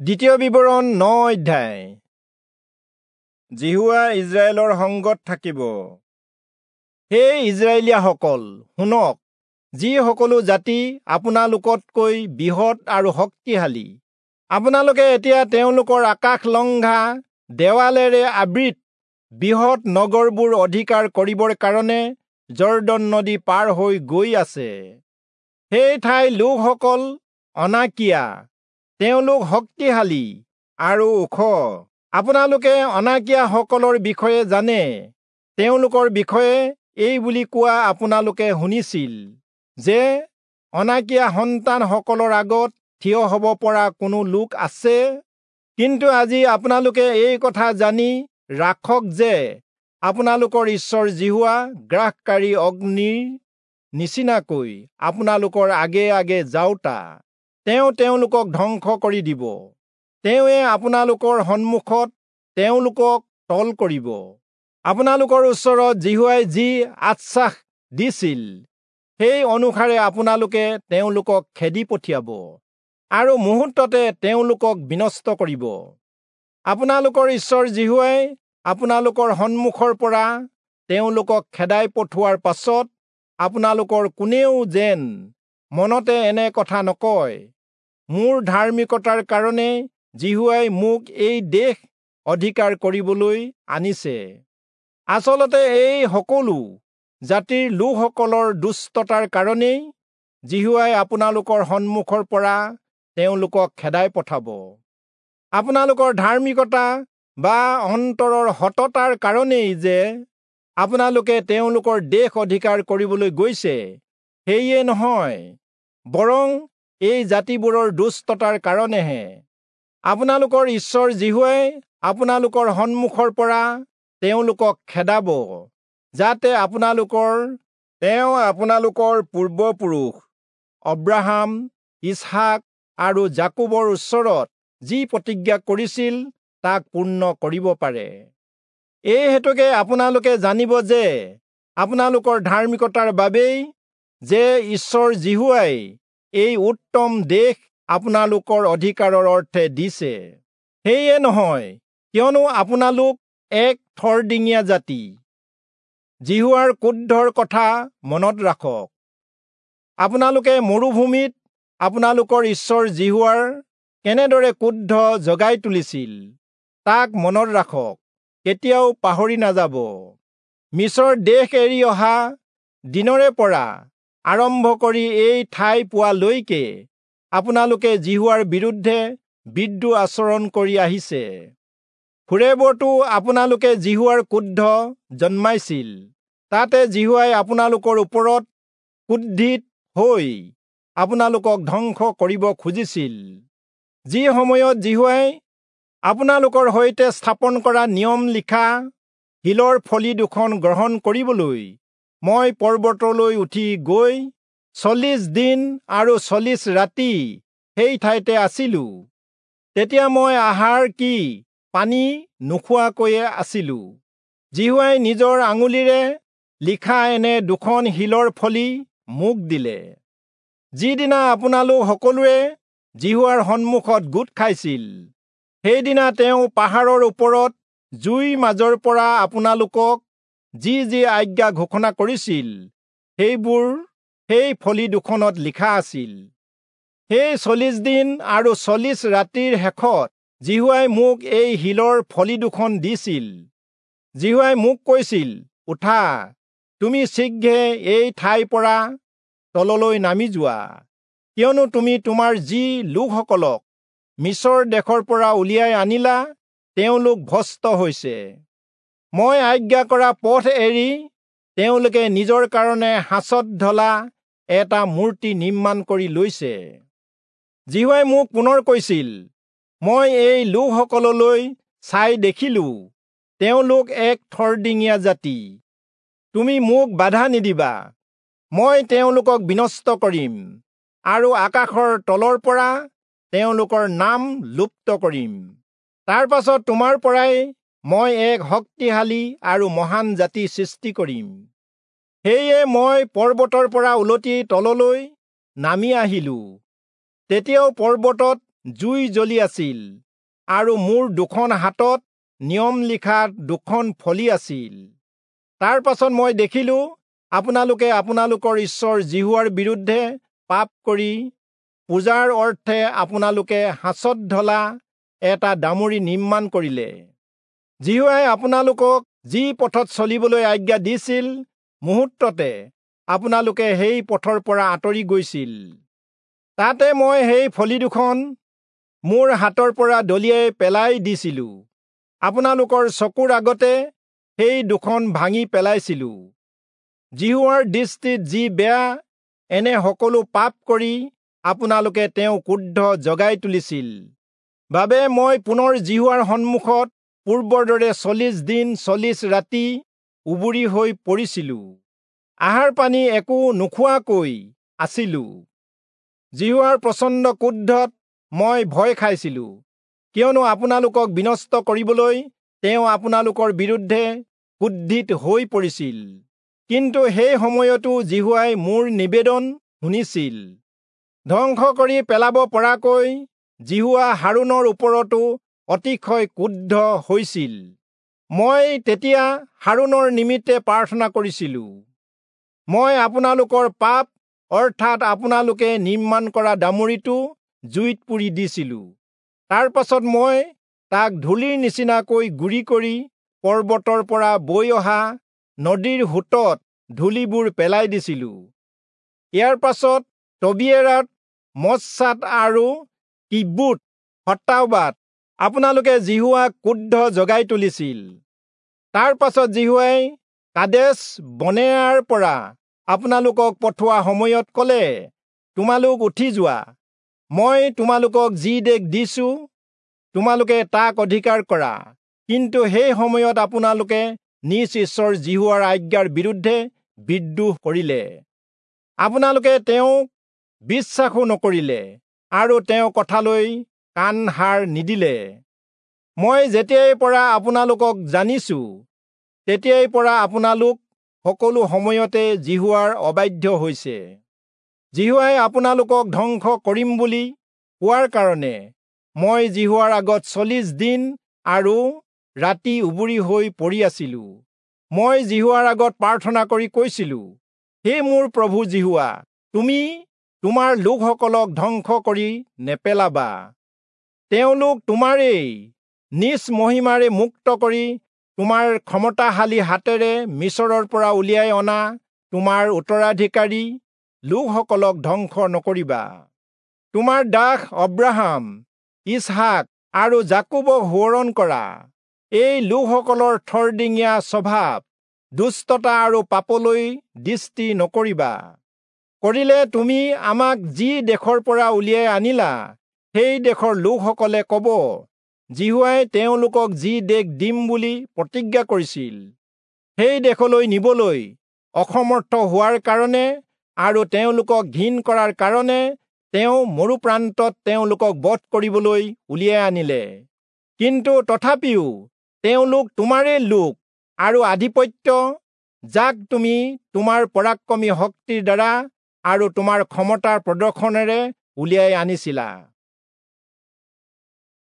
দ্বিতীয় বিৱৰণ 9 অধ্যায়। যিহোৱা ইস্ৰায়েলৰ সংগত থাকিব। হে ইস্ৰায়েলীয়াসকল, শুনক, যি সকলো জাতি আপোনালোকতকৈ বৃহৎ আৰু শক্তিশালী, আপোনালোকে এতিয়া তেওঁলোকৰ আকাশলংঘা দেৱালেৰে আবৃত বৃহৎ নগৰবোৰ অধিকাৰ কৰিবৰ কাৰণে যৰ্দন নদী পাৰ হৈ গৈ আছে। সেই ঠাইৰ লোকসকল অনাকীয়া, তেওঁলোক শক্তিশালী আৰু ওখ। আপোনালোকে অনাকীয়াসকলৰ বিষয়ে জানে। তেওঁলোকৰ বিষয়ে এই বুলি কোৱা আপোনালোকে শুনিছিল যে অনাকীয়া সন্তানসকলৰ আগত থিয় হ'ব পৰা কোনো লোক আছে। কিন্তু আজি আপোনালোকে এই কথা জানি ৰাখক যে আপোনালোকৰ ঈশ্বৰ যিহোৱা গ্ৰাসকাৰী অগ্নিৰ নিচিনাকৈ আপোনালোকৰ আগে আগে যাওঁতা, তেওঁ তেওঁলোকক ধ্বংস কৰি দিব। তেওঁৱে আপোনালোকৰ সন্মুখত তেওঁলোকক তল কৰিব। আপোনালোকৰ ওচৰত যিহোৱাই যি আশ্বাস দিছিল, সেই অনুসাৰে আপোনালোকে তেওঁলোকক খেদি পঠিয়াব আৰু মুহূৰ্ততে তেওঁলোকক বিনষ্ট কৰিব। আপোনালোকৰ ঈশ্বৰ যিহোৱাই আপোনালোকৰ সন্মুখৰ পৰা তেওঁলোকক খেদাই পঠোৱাৰ পাছত আপোনালোকৰ কোনেও যেন মনতে এনে কথা নকয়, মোৰ ধাৰ্মিকতাৰ কাৰণে যিহোৱাই মোক এই দেশ অধিকাৰ কৰিবলৈ আনিছে। আচলতে এই সকলো জাতিৰ লোকসকলৰ দুষ্টতাৰ কাৰণেই যিহোৱাই আপোনালোকৰ সন্মুখৰ পৰা তেওঁলোকক খেদাই পঠাব। আপোনালোকৰ ধাৰ্মিকতা বা অন্তৰৰ সততাৰ কাৰণেই যে আপোনালোকে তেওঁলোকৰ দেশ অধিকাৰ কৰিবলৈ গৈছে, সেয়ে নহয়, বৰং এই জাতিবোৰৰ দুষ্টতাৰ কাৰণেহে। আপোনালোকৰ ঈশ্বৰ যিহোৱাই আপোনালোকৰ সন্মুখৰ পৰা তেওঁলোকক খেদাব, যাতে আপোনালোকৰ তেওঁ আপোনালোকৰ পূৰ্বপুৰুষ অব্ৰাহাম, ইচহাক আৰু যাকোবৰ ওচৰত যি প্ৰতিজ্ঞা কৰিছিল তাক পূৰ্ণ কৰিব পাৰে। এই হেতুকে আপোনালোকে জানিব যে আপোনালোকৰ ধাৰ্মিকতাৰ বাবেই যে ঈশ্বৰ যিহোৱাই এই উত্তম দেশ আপোনালোকৰ অধিকাৰৰ অৰ্থে দিছে। সেয়ে নহয়, কিয়নো আপোনালোক এক থৰডিঙীয়া জাতি। যিহোৱাৰ ক্ৰোধৰ কথা মনত ৰাখক। আপোনালোকে মৰুভূমিত আপোনালোকৰ ঈশ্বৰ যিহোৱাৰ কেনেদৰে ক্ৰোধ জগাই তুলিছিল তাক মনত ৰাখক, কেতিয়াও পাহৰি নাযাব। মিচৰ দেশ এৰি অহা দিনৰে পৰা আৰম্ভ কৰি এই ঠাই পোৱালৈকে আপোনালোকে যিহোৱাৰ বিৰুদ্ধে বিদ্ৰোহ আচৰণ কৰি আহিছে। হোৰেবতো আপোনালোকে যিহোৱাৰ ক্ৰোধ জন্মাইছিল। তাতে যিহোৱাই আপোনালোকৰ ওপৰত ক্ৰোধিত হৈ আপোনালোকক ধ্বংস কৰিব খুজিছিল। যি সময়ত যিহোৱাই আপোনালোকৰ সৈতে স্থাপন কৰা নিয়ম লিখা শিলৰ ফলি দুখন গ্ৰহণ কৰিবলৈ মই পৰ্বতলৈ উঠি গৈ 40 দিন আৰু 40 ৰাতি সেই ঠাইতে আছিলো, তেতিয়া মই আহাৰ কি পানী নোখোৱাকৈয়ে আছিলো। যিহোৱাই নিজৰ আঙুলিৰে লিখা এনে দুখন শিলৰ ফলি মোক দিলে। যিদিনা আপোনালোক সকলোৱে যিহোৱাৰ সন্মুখত গোট খাইছিল, সেইদিনা তেওঁ পাহাৰৰ ওপৰত জুইৰ মাজৰ পৰা আপোনালোকক যি যি আজ্ঞা ঘোষণা কৰিছিল, সেইবোৰ সেই ফলি দুখনত লিখা আছিল। সেই 40 দিন আৰু 40 ৰাতিৰ শেষত যিহোৱাই মোক এই শিলৰ ফলি দুখন দিছিল। যিহোৱাই মোক কৈছিল, উঠা, তুমি শীঘ্ৰে এই ঠাইৰ পৰা তললৈ নামি যোৱা, কিয়নো তুমি তোমাৰ যি লোকসকলক মিচৰ দেশৰ পৰা উলিয়াই আনিলা, তেওঁলোক ভ্ৰষ্ট হৈছে। মই আজ্ঞা কৰা পথ এৰি তেওঁলোকে নিজৰ কাৰণে সাঁচত ঢলা এটা মূৰ্তি নিৰ্মাণ কৰি লৈছে। যিহোৱাই মোক পুনৰ কৈছিল, মই এই লোকসকললৈ চাই দেখিলো, তেওঁলোক এক থৰডিঙীয়া জাতি। তুমি মোক বাধা নিদিবা, মই তেওঁলোকক বিনষ্ট কৰিম আৰু আকাশৰ তলৰ পৰা তেওঁলোকৰ নাম লুপ্ত কৰিম। তাৰ পাছত তোমাৰ পৰাই মই এক শক্তিশালী আৰু মহান জাতি সৃষ্টি কৰিম। সেয়ে মই পৰ্বতৰ পৰা উলটি তললৈ নামি আহিলো। তেতিয়াও পৰ্বতত জুই জ্বলি আছিল আৰু মোৰ দুখন হাতত নিয়ম লিখা দুখন ফলি আছিল। তাৰ পাছত মই দেখিলো আপোনালোকে আপোনালোকৰ ঈশ্বৰ যিহোৱাৰ বিৰুদ্ধে পাপ কৰি পূজাৰ অৰ্থে আপোনালোকে সাঁচত ঢলা এটা দামুৰি নিৰ্মাণ কৰিলে। যিহোৱাই আপোনালোকক যি পথত চলিবলৈ আজ্ঞা দিছিল, মুহূৰ্ততে আপোনালোকে সেই পথৰ পৰা আঁতৰি গৈছিল। তাতে মই সেই ফলি দুখন মোৰ হাতৰ পৰা দলিয়াই পেলাই দিছিলো। আপোনালোকৰ চকুৰ আগতে সেই দুখন ভাঙি পেলাইছিলো। যিহোৱাৰ দৃষ্টিত যি বেয়া, এনে সকলো পাপ কৰি আপোনালোকে তেওঁ ক্ৰোধ জগাই তুলিছিল বাবে মই পুনৰ যিহোৱাৰ সন্মুখত পূৰ্বৰ দৰে 40 দিন 40 ৰাতি উবুৰি হৈ পৰিছিলো। আহাৰ পানী একো নোখোৱাকৈ আছিলো। যিহোৱাৰ প্ৰচণ্ড ক্ৰোধত মই ভয় খাইছিলো, কিয়নো আপোনালোকক বিনষ্ট কৰিবলৈ তেওঁ আপোনালোকৰ বিৰুদ্ধে ক্ৰোধিত হৈ পৰিছিল। কিন্তু সেই সময়তো যিহোৱাই মোৰ নিবেদন শুনিছিল। ধ্বংস কৰি পেলাব পৰাকৈ যিহোৱা হাৰোণৰ ওপৰতো অতিশয় ক্ৰুদ্ধ হৈছিল। মই তেতিয়া হাৰোণৰ নিমিত্তে প্ৰাৰ্থনা কৰিছিলো। মই আপোনালোকৰ পাপ, অৰ্থাৎ আপোনালোকে নিৰ্মাণ কৰা দামুৰিটো জুইত পুৰি দিছিলো। তাৰ পাছত মই তাক ধূলিৰ নিচিনাকৈ গুৰি কৰি পৰ্বতৰ পৰা বৈ অহা নদীৰ সোঁতত ধূলিবোৰ পেলাই দিছিলো। ইয়াৰ পাছত তবিয়েৰাত, মচ্ছাত আৰু কিব্ৰোত হত্তাওবাত আপোনালোকে যিহোৱাক ক্ৰোধ জগাই তুলিছিল। তাৰ পাছত যিহোৱাই কাদেশ বৰ্ণেয়াৰ পৰা আপোনালোকক পঠোৱা সময়ত ক'লে, তোমালোক উঠি যোৱা, মই তোমালোকক যি দেশ দিছো তোমালোকে তাক অধিকাৰ কৰা। কিন্তু সেই সময়ত আপোনালোকে নিজ ঈশ্বৰ যিহোৱাৰ আজ্ঞাৰ বিৰুদ্ধে বিদ্ৰোহ কৰিলে। আপোনালোকে তেওঁক বিশ্বাসো নকৰিলে আৰু তেওঁ কথালৈ কাণ হাৰ নিদিলে। মই যেতিয়াই পৰা আপোনালোকক জানিছো, তেতিয়াই পৰা আপোনালোক সকলো সময়তে যিহোৱাৰ অবাধ্য হৈছে। যিহোৱাই আপোনালোকক ধ্বংস কৰিম বুলি কোৱাৰ কাৰণে মই যিহোৱাৰ আগত 40 দিন আৰু ৰাতি উবুৰি হৈ পৰি আছিলো। মই যিহোৱাৰ আগত প্ৰাৰ্থনা কৰি কৈছিলো, হে মোৰ প্ৰভু যিহোৱা, তুমি তোমাৰ লোকসকলক ধ্বংস কৰি নেপেলাবা। তেওঁলোক তোমাৰেই নিজ মহিমাৰে মুক্ত কৰি তোমাৰ ক্ষমতাশালী হাতেৰে মিচৰৰ পৰা উলিয়াই অনা তোমাৰ উত্তৰাধিকাৰী লোকসকলক ধ্বংস নকৰিবা। তোমাৰ দাস অব্ৰাহাম, ইচহাক আৰু যাকোবক সোঁৱৰণ কৰা। এই লোকসকলৰ থৰডিঙীয়া স্বভাৱ, দুষ্টতা আৰু পাপলৈ দৃষ্টি নকৰিবা। কৰিলে তুমি আমাক যি দেশৰ পৰা উলিয়াই আনিলা, সেই দেশৰ লোকসকলে ক'ব, যিহোৱাই তেওঁলোকক যি দেশ দিম বুলি প্ৰতিজ্ঞা কৰিছিল, সেই দেশলৈ নিবলৈ অসমৰ্থ হোৱাৰ কাৰণে আৰু তেওঁলোকক ঘিণ কৰাৰ কাৰণে তেওঁ মৰুপ্ৰান্তত তেওঁলোকক বধ কৰিবলৈ উলিয়াই আনিলে। কিন্তু তথাপিও তেওঁলোক তোমাৰেই লোক আৰু আধিপত্য, যাক তুমি তোমাৰ পৰাক্ৰমী শক্তিৰ দ্বাৰা আৰু তোমাৰ ক্ষমতাৰ প্ৰদৰ্শনেৰে উলিয়াই আনিছিলা।